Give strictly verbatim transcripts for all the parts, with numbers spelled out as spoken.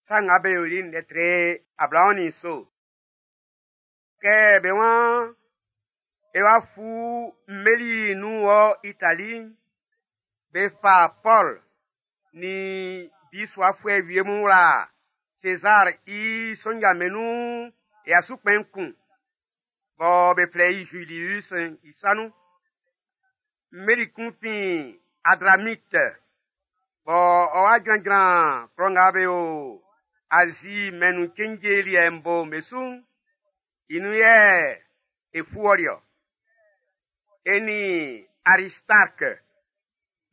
Sa Nga Be Yoli'n lɛ tre ablaɔn nin nso. Kɛ be waan e wa fu mmeli nun wɔ Itali'n, be fa Pɔl nin bisuafuɛ wie mun wla Sezar i sonja'm be nun ya su kpɛn kun bɔ be flɛ i Julius i sa nun. Mmeli kun fin Adramit bɔ ɔ wa jranjran klɔ nga be o Azi mɛn'n nun cenje liɛ'n bo'n be su'n, i nun yɛ e fu ɔli-ɔ. E nin Aristark,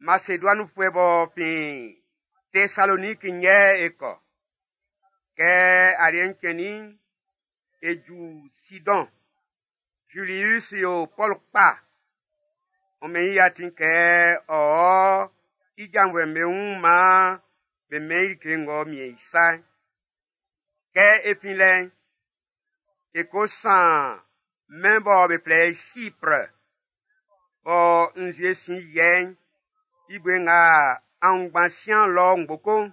Maseduaninfuɛ b'ɔ fin Tesaloniki yɛ e kɔ. Kɛ aliɛ'n cɛnnin'n, e ju Sidɔn. Julius yo Pɔl kpa. Ɔ mɛn i atin kɛ ɔ ɔ i janvuɛ'm be wun maan be mɛn i like ng'ɔ miɛn i sa'n. Kɛ e fin lɛ'n, e ko san mɛn bɔ be flɛ i Chypre, bɔ nzue sin yiɛ i'n, i bue nga aunngban sian lɔ ngboko'n.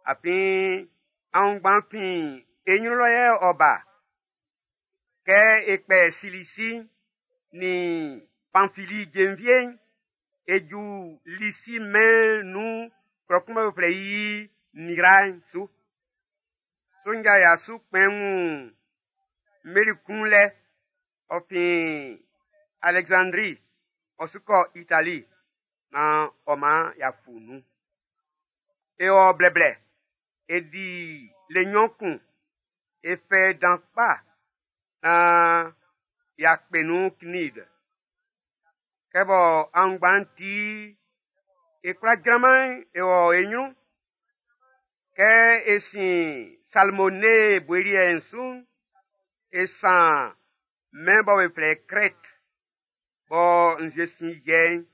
Afin aunngban fin e nyrun lɔ yɛ ɔ ba. Kɛ e kpɛ Silisi nin Panfili jenvie'n, e ju Lisi mɛn'n nun klɔ kun bɔ be flɛ i Mira'n su. Sonja ya su kpɛn wun mmeli kun lɛ, ɔ fin Alɛksandri, ɔ su kɔ Itali, naan ɔ man y'a fu nun. E wɔ blɛblɛ, e di le nnyɔn kun, e fɛ dan kpa naan y'a kpɛ nun Knid. Kɛ bɔ aunngban'n ti e kwla jranman e wɔ e nyrun. Kɛ e sin Salmone bue liɛ'n su'n, e san mɛn bɔ be flɛ i Krɛt, bɔ nzue sin yiɛ i'n,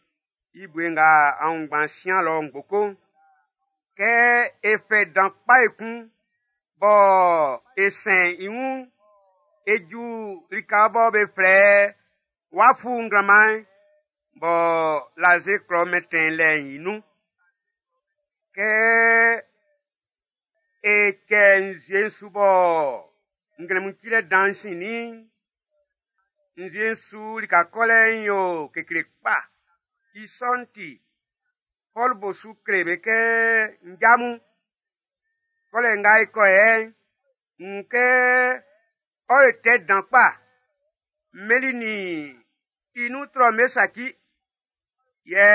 i bue nga aunngban sian lɔ ngboko'n. Kɛ e fɛ dan kpa ekun bɔ e sɛn i wun'n, e ju lika bɔ be flɛ Wafu nglanman'n bɔ Laze klɔ mɛntɛn lɛ'n i nun. Kɛ e kɛ nzue'n su bɔ nglɛmun cilɛ dan'n sinnin'n, nzue'n su lika kɔlɛ'n yo kekle kpa. I sɔ'n ti, Pɔl bo su kle be kɛ nja mun, kɔlɛ nga e kɔ yɛ'n, n wun kɛ ɔ yo tɛ dan kpa. Mmeli nin i nun trɔ'm be saci, yɛ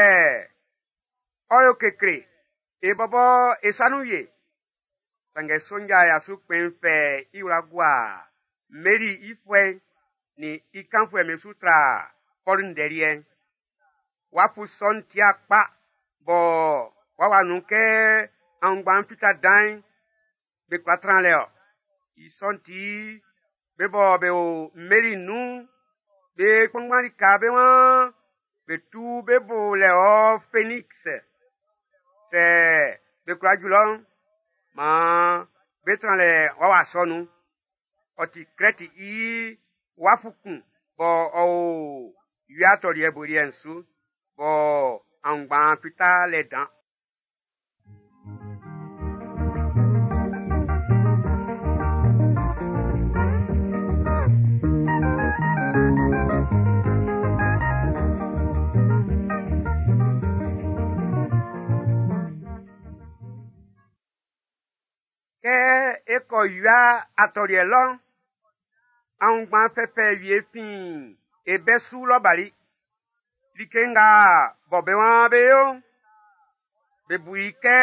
ɔ yo kekle e bɔbɔ e sa nun wie. Sanngɛ sonja ya su kpɛn'n fɛ i wla gua mmeli i fuɛ'n nin i kanfuɛ'm be su tra Pɔl ndɛ liɛ'n. Wafu sɔ'n tia kpa bɔ w'a nun kɛ aunngban'n fita dan'n, be kwla tran lɛ-ɔ. I sɔ'n ti, be bɔ be o mmeli nun'n, be kpanngban lika be waan be tu be bo lɛ ɔ Fenix. Sɛ be kwla ju lɔ'n, maan be tran lɛ wawa sɔ nun. Ɔ ti Krɛti i wafu kun bɔ ɔ o wia atɔliɛ bue liɛ'n su, bɔ aunngban fita lɛ dan. Kɛ e kɔ wia atɔliɛ lɔ'n, aunngban fɛfɛ wie fin e bɛ su lɔ bali. Like nga bɔ be waan be yo'n, be bu i kɛ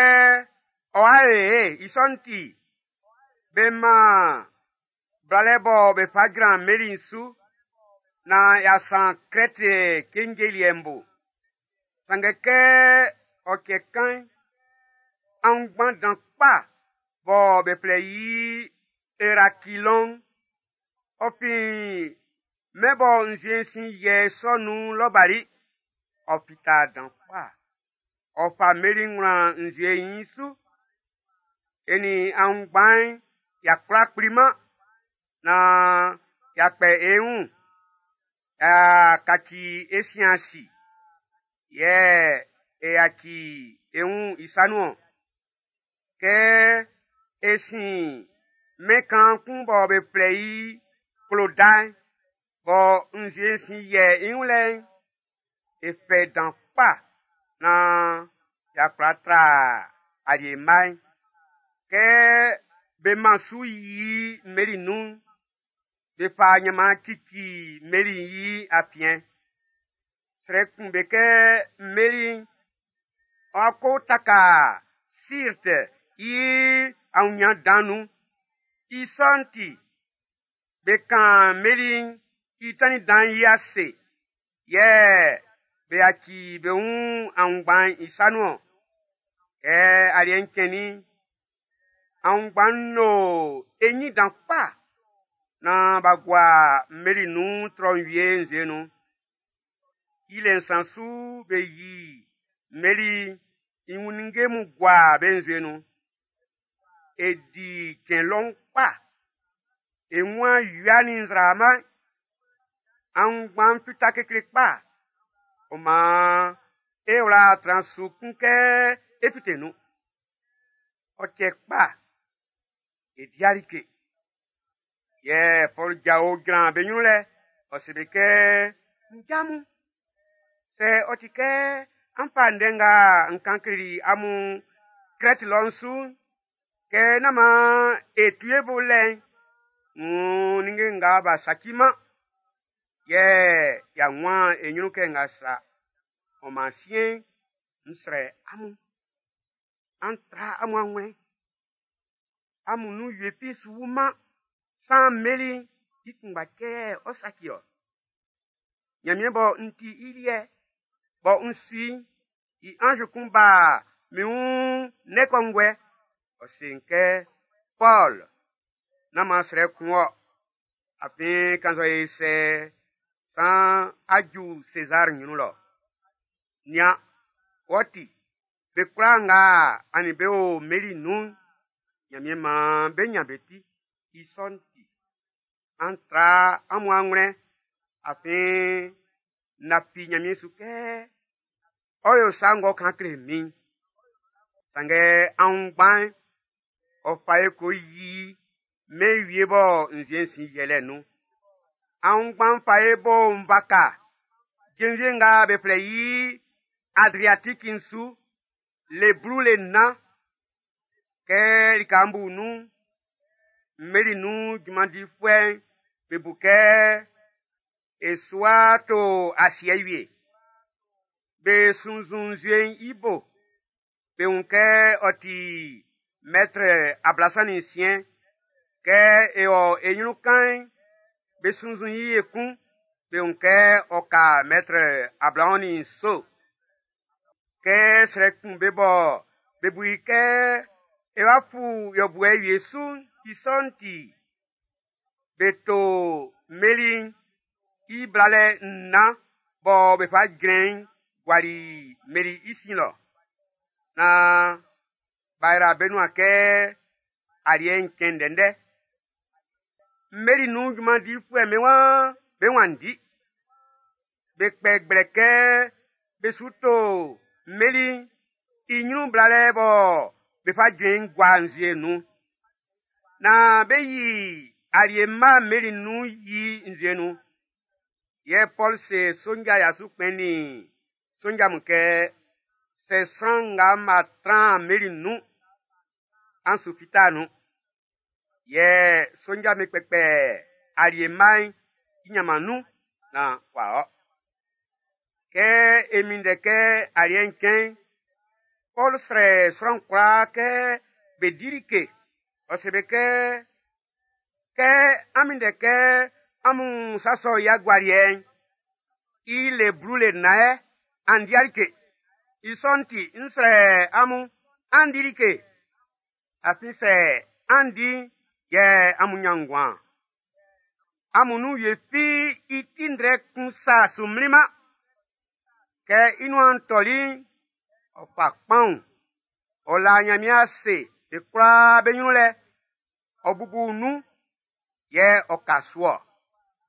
ɔ'a e i sɔ'n ti, be man blalɛ bɔ be fa jran mmeli'n su naan y'a san Krɛti cenje liɛ'n bo. Sanngɛ kɛ ɔ cɛ kan'n, aunngban dan kpa bɔ be flɛ i Erakilɔn'n, ɔ fin mɛn bɔ nzue'n sin yiɛ sɔ nun lɔ bali. Ɔ fita dan kpa. Ɔ fa mmeli wlan nzue'n i su. E nin aunngban'n y'a kwla kpliman naan y'a kpɛ e wun, y'a kaci e sin asi, yɛ e yaci e wun i sa nun-ɔn. Kɛ E sin mɛn kaan kun bɔ be flɛ i Kloda'n, bɔ nzue'n sin yiɛ i wun lɛ'n, e fɛ dan kpa naan y'a kwla tra alie mma'n. Kɛ be man su yi mmeli nun'n, be fa ɲanman cici mmeli'n i afiɛn. Srɛ kun be kɛ mmeli'n ɔ́ kó taka Sirti i aunɲan dan'n nun. I sɔ'n ti, be kan mmeli'n i tannin dan'n i ase, yɛ be yaci be wun aunngban'n i sa nun-ɔn. Kɛ aliɛ'n cɛnnin'n, aunngban'n lo e ɲin dan kpa naan b'a gua mmeli nun trɔ'n wie nzue nun. I le nsan su be yi mmeli'n i wun ninnge mun gua be nzue nun. E di cɛn lɔun kpa. E wun wia nin nzraama'n. Aunngban'n fita kekle kpa. Ɔ maan e wla tran su kun kɛ e fite nun. Ɔ cɛ kpa, e di like. Yɛ Pɔlu jao jran be ɲrun lɛ, ɔ se be kɛ, “Nja mun, sɛ ɔ ti kɛ an fa ndɛ nga n kan kleli amun Krɛti lɔ'n su'n, kɛ nán maan e tu e bo lɛ'n, wuun ninnge nga b'a saciman, yɛ y'a wun e ɲrun kɛ nga sa. Ɔ maan siɛn'n, n srɛ amun, an tra amun awlɛn. Amun nun wie fi su wuman, saan mmeli'n i kunngba cɛ yɛ ɔ saci ɔ. Ɲanmiɛn bɔ n ti i liɛ, bɔ n su i'n, i anz kun ba min wun ndɛ kɔnguɛ, ɔ se n kɛ, Pɔl, nán maan srɛ kun wɔ, afin kannzɛ e sɛ, saan á jú Sezar ɲrun lɔ. Nian, wɔ ti, be kwlaa nga a nin be o mmeli nun'n, Ɲanmiɛn maan be ɲan be ti. I sɔ'n ti, an tra amun awlɛn, afin n lafi Ɲanmiɛn su kɛ ɔ yo sa ng'ɔ kan kle min'n. Sanngɛ aunngban'n, ɔ fa e ko yi mɛn wie bɔ nzue'n sin yiɛ lɛ nun. Aunngban'n fa e bo nvaka jenvie nga be flɛ i Adriatiki'n su le blu le nnan. Kɛ lika'n bu nun'n, mmeli nun junman difuɛ'm be bu kɛ e su wa to asiɛ wie. Be sunnzun nzue'n i bo, be wun kɛ ɔ ti mɛtrɛ ablasan nin nsiɛn. Kɛ e wɔ e ɲrun kan'n, be sunnzun i ekun, be wun kɛ ɔ ka mɛtrɛ ablaɔn nin nso. Kɛ srɛ kun be bɔ be bu i kɛ e wa fu yɔbuɛ wie su'n, i sɔ'n ti, be to mmeli'n i blalɛ nnan bɔ be fa jrɛn i'n guali mmeli i sin lɔ. Naan b'a yra be nuan kɛ aliɛ'n cɛn ndɛndɛ. Mmeli nun junman difuɛ'm be waan be wanndi. Be kpɛ gblɛ kɛ be su to mmeli'n i ɲrun blalɛ bɔ be fa jrɛn i'n gua nzue nun. Naan be yi alie mma mmeli nun yi nzue nun. Yɛ Pɔl se sonja ya su kpɛn nin sonja mun kɛ, sɛ sran nga ma tran mmeli nun, an su fita nun. Yɛ sonja mi kpɛkpɛ alie mma'n i ɲanman nun naan w'a ɔ. Kɛ e minndɛ kɛ aliɛ'n cɛn'n, Pɔl srɛ sran kwlaa kɛ be di like. Ɔ se be kɛ, kɛ an minndɛ kɛ amun sa sɔ i agualiɛ'n, i le blu le nnan yɛ, an di like. I sɔ'n ti, n srɛ amun, an di like. Afin sɛ an di'n, yɛ amun ɲan nguan. Amun nun wie fi i ti ndrɛ kun sa su mlinman. Kɛ i nuan tɔli'n, ɔ fa kpaun, ɔ la Ɲanmiɛn ase be kwlaa be ɲrun lɛ, ɔ bubu nun, yɛ ɔ ka su-ɔ.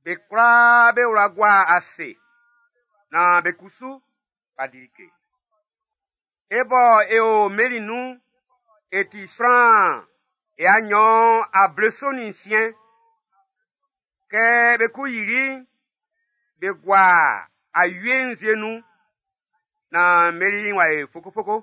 Be kwlaa be wla gua ase, naan be kusu b'a di like. E bɔ e o mmeli nun'n, e ti sran Ya nnyɔn ableso nin nsiɛn. Kɛ be ko yili'n, be gua awie nzue nun naan mmeli'n w'a yo fokofoko.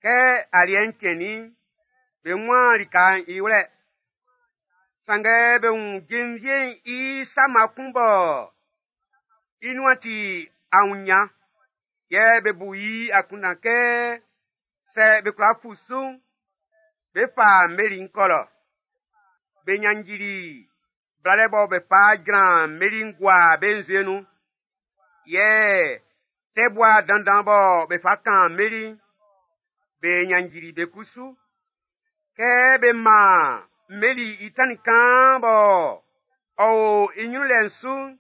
Kɛ aliɛ'n cɛnnin'n, be wunman lika'n i wlɛ. Sanngɛ be wun jenvie'n i sama kun bɔ i nuan ti aunɲan, yɛ be bu i akunndan kɛ sɛ be kwla fu su'n, be fa mmeli'n kɔ lɔ. Be ɲannjili blalɛ bɔ be fa jran mmeli'n gua be nzue nun, yɛ tɛbua dandan bɔ be fa kan mmeli'n, be ɲannjili be kusu. Kɛ be man mmeli i tannin kaan bɔ ɔ o i ɲrun lɛ'n su'n,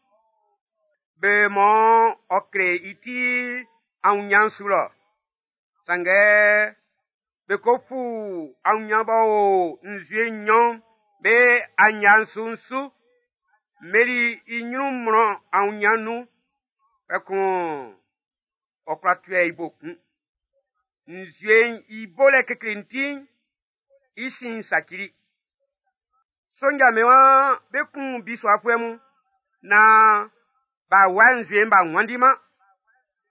be mɔ ɔ kle i ti aunɲan'n su lɔ. Sanngɛ be ko fu aunɲan b'ɔ o nzue nɲɔn be aɲa'n su'n su. Mmeli i ɲrun mlɔn aunɲan'n nun, kpɛkun ɔ kwla tuɛ i bo kun. Nzue'n i bolɛ kekle'n ti'n, i sin'n sacili. Sonja'm be waan be kun bisuafuɛ mun naan b'a wua nzue'n b'a wanndiman.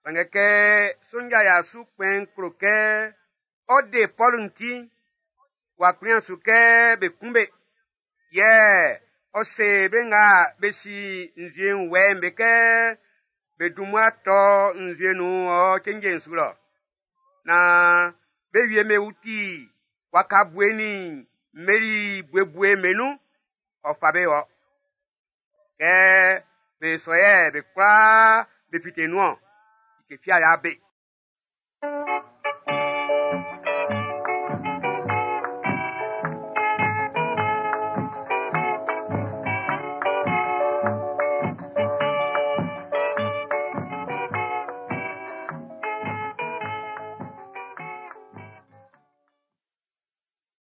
Sanngɛ kɛ sonja ya su kpɛn'n klo kɛ ɔ de Pɔlu'n ti'n, w'a kplinman su kɛ be kun be. Yɛ ɔ se be nga be si nzue'n wɛ'n be kɛ be dun mmua tɔ nzue nun ɔ cenje'n su lɔ. Naan be wie be wuti waka bue nin mmeli buebue be nun, ɔ fa be wɔ. Kɛ be sɔ yɛ be kwlaa be fite nun-ɔn, like fi a y'a be.